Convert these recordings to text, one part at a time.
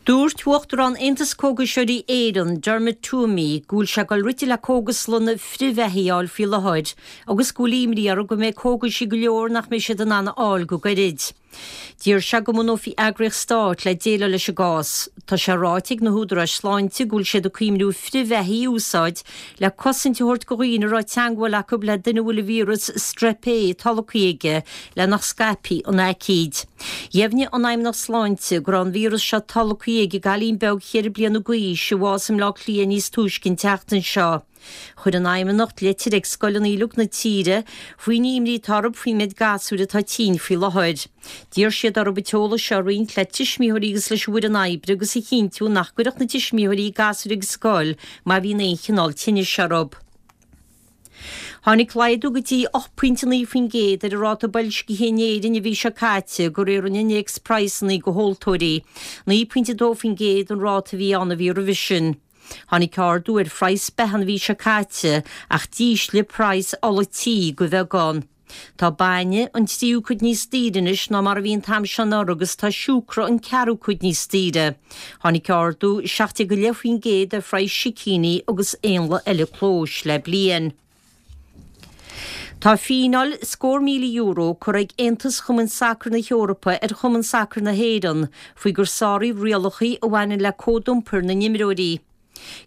Dúirt Uachtarán Aontas Cógaiseoirí Éireann, Dermot Twomey, go bhfuil sé ag dul rite le cógaslanna frithbheathaí a fháil faoi láthair agus go bhfuil imní orthu go mbeidh cógaisí go leor nach mbeidh siad in ann a fháil go gairid. D'iarr sé go mbunófaí eagraíocht stáit le déileáil leis an gcás. Tá sé ráite ag na húdaráis sláinte go bhfuil siad ag cuimhniú frithbheathaí a úsáid le cosaint a thabhairt go dhaoine a raibh teangmháil acu le duine a bhfuil an víreas Strep A tolgtha aige le nach scaipfí an aicíd. Dheimhnigh an Fheidhmeannacht Sláinte go raibh an víreas seo tolgtha ag an gcailín beag cheithre bliana d'aois a bhásaigh i mBleá Cliath níos túisce an tseachtain seo. Chuir an Fheidhmeannacht litir ag scoileanna uilig na tíre faoin imní atá orthu faoin méid gasúir atá tinn faoi láthair. D'iarr siad orthu an t-eolas seo a roinnt le tuismitheoirí agus leis an bhfoireann oibre agus a chinntiú nach gcuirfeadh na tuismitheoirí gasúir ag an scoil má bhíonn aon chineál tinnis orthu. Tháinig laghdú go dtí 8.9% ar an ráta boilscithe in Éirinn an mhí seo caite, de réir an Innéacs Praghsanna do Thomhaltóirí. 9.2% an ráta a bhí ann an mhí roimhe sin. Tháinig ardú ar phraghas beatha an mhí seo caite ach d'ísligh praghas ola tí de bheagán. Tá bainne an tríú cuid níos daoire anois ná mar a bhí an t-am seo anuraidh agus tá siúcra an ceathrú cuid níos daoire. Tháinig ardú 17.5% ar phraghas sicíní agus éanlaith eile clóis le bliain. Tá fíneáil scór €1,000 curtha ag Aontas Chumainn Sacair na hEorpa ar Chumann Sacair na hÉireann faoi gur sáraíodh rialacha a bhaineann le cód iompair na n-imreoirí.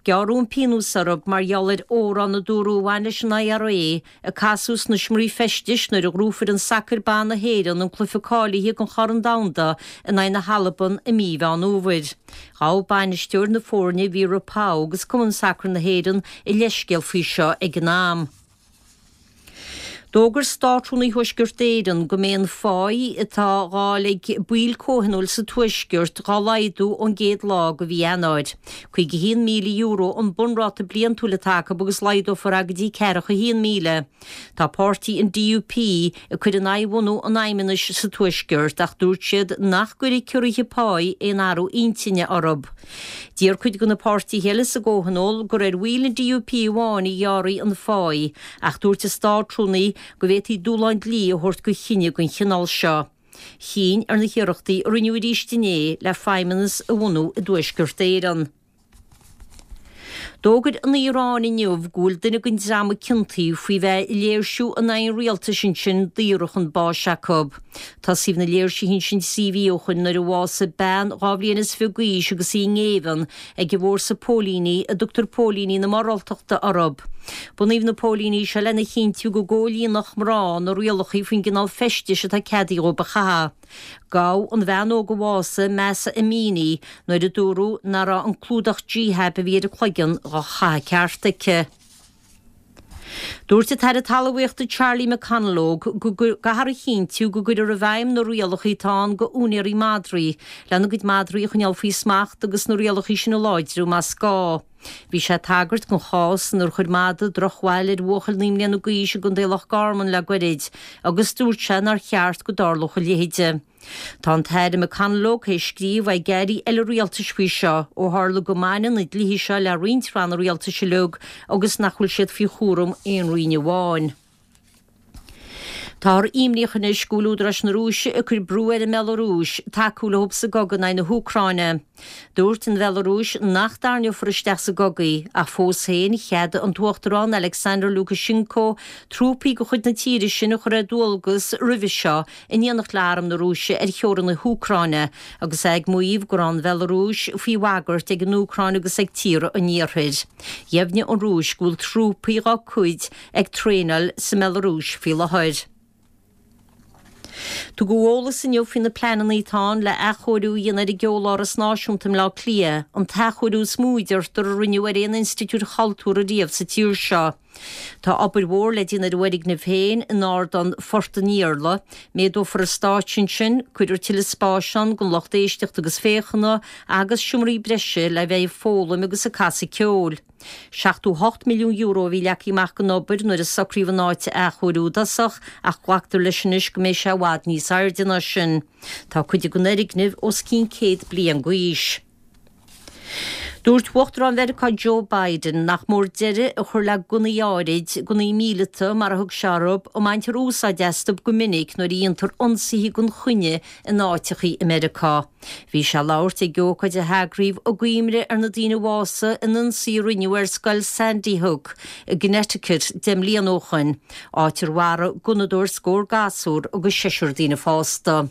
Gearradh an pionós orthu mar gheall ar amhrán a dúradh a bhain leis an IRA a casadh sna seomraí feistis nuair a ghnóthaigh foireann sacair ban na hÉireann an cluiche cáilithe don Chorn Domhanda in aghaidh na hAlban i mí Mheán Fhómhair. Ghabh bainisteoir na foirne Vera Pauw agus Cumann Sacair na hÉireann a leithscéal faoi seo ag an am. D'fhógair Státrúnaí Thuaisceart Éireann go mbeidh an pháí atá á fháil ag baill comhthionóil sa Tuaisceart dhá laghdú ón gcéad lá de mhí Eanáir. €51,000 an bunráta bliantúil atá acu agus laghdófar é go dtí 41,000. Tá páirtí an DUP ag cur in aghaidh bhunú an Fheidhmeannais sa Tuaisceart ach dúirt siad nach gcuirfidh ciorruithe páí aon athrú intinne orthu. D'iarr cuid de na páirtithe eile sa gcomhthionól gur ar bhaill an DUP amháin a ghearrfaí an pháí ach dúirt an Státrúnaí go bhféadfaí dúshlán dlí a thabhairt do chinneadh den chineál seo. Chinn ar na hiarrachtaí a rinneadh arís inné le feidhmeannas a bhunú i dTuaisceart Éireann. D'fhógair an Iaráin inniu go bhfuil duine den dream a ciontaíodh faoi bheith ag léirsiú in aghaidh an rialtais ansin daortha chun báis acu. Tosaíodh na léirsithe ansin 3 mhí ó shoin nuair a bhásaigh bean 22 bhliain d'aois agus í i ngéibheann ag an bhfórsa póilíní a dtugtar póilíní na moráltachta orthu. Bunaíodh na póilíní seo lena chinntiú go gcomhlíonfadh mná na rialacha faoin gcineál feistis atá ceadaithe dhóibh a chaitheamh. Gabhadh an bhean óg a bhásaigh, Mahsa Amini, nuair a dúradh nach raibh an clúdach jihab a bhí ar a cloigeann dhá chaitheamh ceart aici. Dúirt an tAire Talmhaíochta Charlie McConalogue go gcaithfear a chinntiú go gcuirfear i bhfeidhm na rialacha atá ann go úinéirí madraí lena gcuid madraí a choinneáil faoi smacht agus na rialacha sin a láidriú más gá. Bhí sé ag tagairt don chás inar chuir madadh drochbhail ar bhuachaill 9 mbliana d'aois i gContae Loch Garman le goirid agus dúirt sé nár cheart go dtarlódh a leithéide. Tá an tAire McConalogue théis scríobh ag airí eile rialtais faoi seo ó tharla go mbaineann na dlíthe seo le roinnt ranna rialtais uilig agus nach bhfuil siad faoi chúram aon roinn amháin. Táthar imníoch anois go bhfuil údaráis na Rúise ag cur brú ar an mBealarúis tacú leo sa gcogadh in aghaidh na hÚcráine. Dúirt an Bhealarúis nach dtarraingeofar isteach sa gcogadh í, ach fós féin cheadaigh an tUachtarán Alexander Lukashenko trúpaí de chuid na tíre sin a chur ar dualgas roimhe seo in éineacht le arm na Rúise ar theorainn na hÚcráine agus é ag maíomh go raibh an Bhealarúis faoi bhagairt ag an Úcráin agus ag tíortha an Iarthair. Dheimhnigh an Rúis go bhfuil trúpaí dá cuid ag traenáil sa mBealarúis faoi láthair. Tugadh eolas inniu faoi na pleananna atá ann le athchóiriú a dhéanamh ar an gCeoláras Náisiúnta i mBleá Cliath, an t-athchóiriú is mó a deirtear a rinneadh ar aon institiúid chultúrtha riamh sa tír seo. Tá obair mhór le déanamh ar an bhfoirgneamh féin in Ardán Phort an Iarla. Méadófar an stáitse ansin, cuirfear tuilleadh spáis ann don lucht éisteachta agus féachana agus seomraí breise le bheith ag foghlaim agus ag casadh ceoil. €78 milliún a bhí leagtha amach don obair nuair a socraíodh an áit a athchóiriú i dtosach ach glactar leis anois go mbeidh sé i bhfad níos airde ná sin. Tá cuid den fhoirgneamh os cionn 100 bliain d'aois. Dúirt Uachtarán Mheiriceá Joe Biden nach mór deireadh a chur le gunnaí áirid, gunnaí míleata mar a thug sé orthu, a mbaintear úsáid astu go minic nuair a dhéantar ionsaithe gan choinne in áiteachaí i Meiriceá. Bhí sé ag labhairt ag ócáid a heagraíodh i gcuimhne ar na daoine a bhásaigh in ionsaí a rinneadh ar scoil Sandy Hook i gConnecticut 10 mbliana ó shoin, áit ar mharaigh gunnadóir scór gasúr agus seisear daoine fásta.